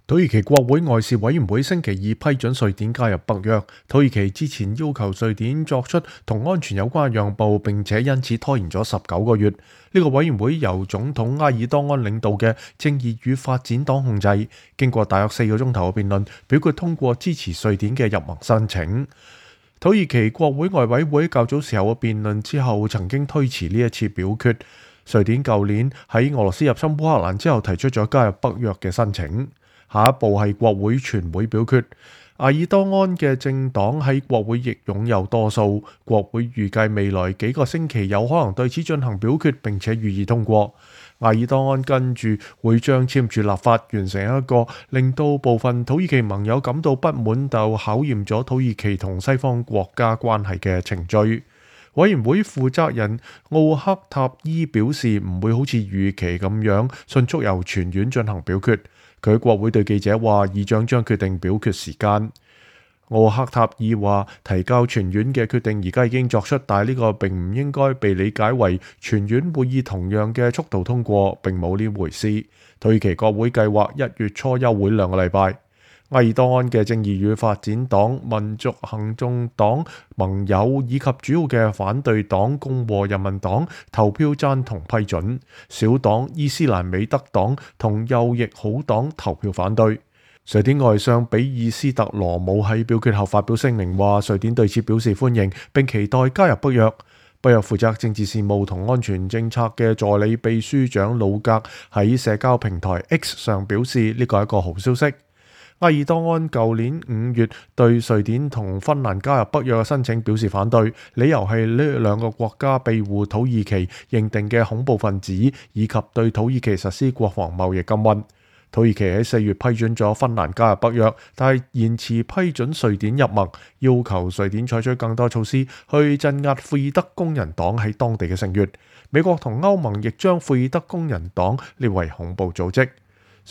土耳其國會外事委員會星期二批准瑞典加入北約。土耳其之前要求瑞典作出同安全有關嘅讓步，並且因此拖延咗19個月。呢個委員會由總統埃爾多安領導嘅正義與發展黨控制，經過大約4個鐘頭嘅辯論，表決通過支持瑞典嘅入盟申請。土耳其國會外委會較早時候嘅辯論之後，曾經推遲呢一次表決。瑞典舊年喺俄羅斯入侵烏克蘭之後，提出咗加入北約嘅申請。下一步係國會全會表決。埃爾多安嘅政黨喺國會亦擁有多數，國會預計未來幾個星期有可能對此進行表決，並且予以通過。埃爾多安跟住會將簽署立法，完成一個令到部分土耳其盟友感到不滿，就考驗咗土耳其同西方國家關係嘅程序。委員會負責人奧克塔伊表示，唔會好似預期咁樣迅速由全院進行表決。佢喺國會對記者話，議長將決定表決時間。奧克塔爾話，提交全院嘅決定而家已經作出，但係呢個並唔應該被理解為全院會以同樣嘅速度通過，並冇呢回事。土耳其國會計劃1月初休會2個禮拜。埃爾多安嘅正義與發展黨、民族行動黨盟友以及主要嘅反對黨共和人民黨投票贊同批准，小黨伊斯蘭美德黨同右翼好黨投票反對。瑞典外相比爾斯特羅姆喺表決後發表聲明話，瑞典對此表示歡迎，並期待加入北約。北約負責政治事務同安全政策嘅助理秘書長魯格喺社交平台 X 上表示，呢個係一個好消息。埃爾多安舊年5月對瑞典同芬蘭加入北約嘅申請表示反對，理由係呢兩個國家庇護土耳其認定嘅恐怖分子，以及對土耳其實施國防貿易禁運。土耳其喺4月批准咗芬蘭加入北約，但係延遲批准瑞典入盟，要求瑞典採取更多措施去鎮壓庫爾德工人黨喺當地嘅成員。美國同歐盟亦將庫爾德工人黨列為恐怖組織。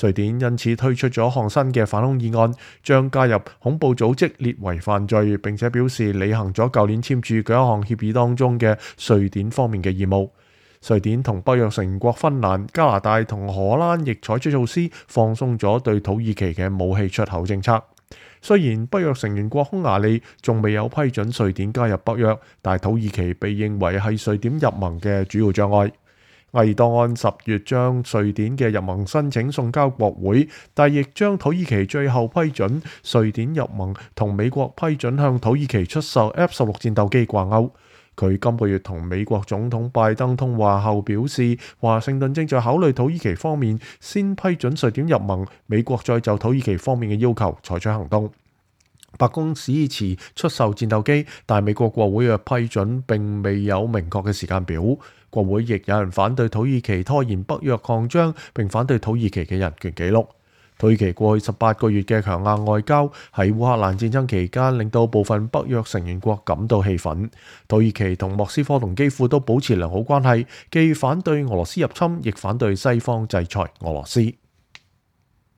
瑞典因此推出咗項新嘅反恐議案，將加入恐怖組織列為犯罪，並且表示履行咗舊年簽署嘅一項協議當中嘅瑞典方面嘅義務。瑞典同北約成員國芬蘭、加拿大同荷蘭亦採取措施，放鬆咗對土耳其嘅武器出口政策。雖然北約成員國匈牙利仲未有批准瑞典加入北約，但土耳其被認為係瑞典入盟嘅主要障礙。埃爾多安10月將瑞典嘅入盟申請送交國會，但亦將土耳其最後批准瑞典入盟同美國批准向土耳其出售 F-16戰鬥機掛鈎。佢今個月同美國總統拜登通話後表示，華盛頓正在考慮土耳其方面先批准瑞典入盟，美國再就土耳其方面嘅要求採取行動。白宮支持出售戰鬥機，但美國國會嘅批准並未有明確嘅時間表。國會亦有人反對土耳其拖延北約擴張，並反對土耳其嘅人權紀錄。土耳其過去18個月嘅強硬外交喺烏克蘭戰爭期間，令到部分北約成員國感到氣憤。土耳其同莫斯科同基輔都保持良好關係，既反對俄羅斯入侵，亦反對西方制裁俄羅斯。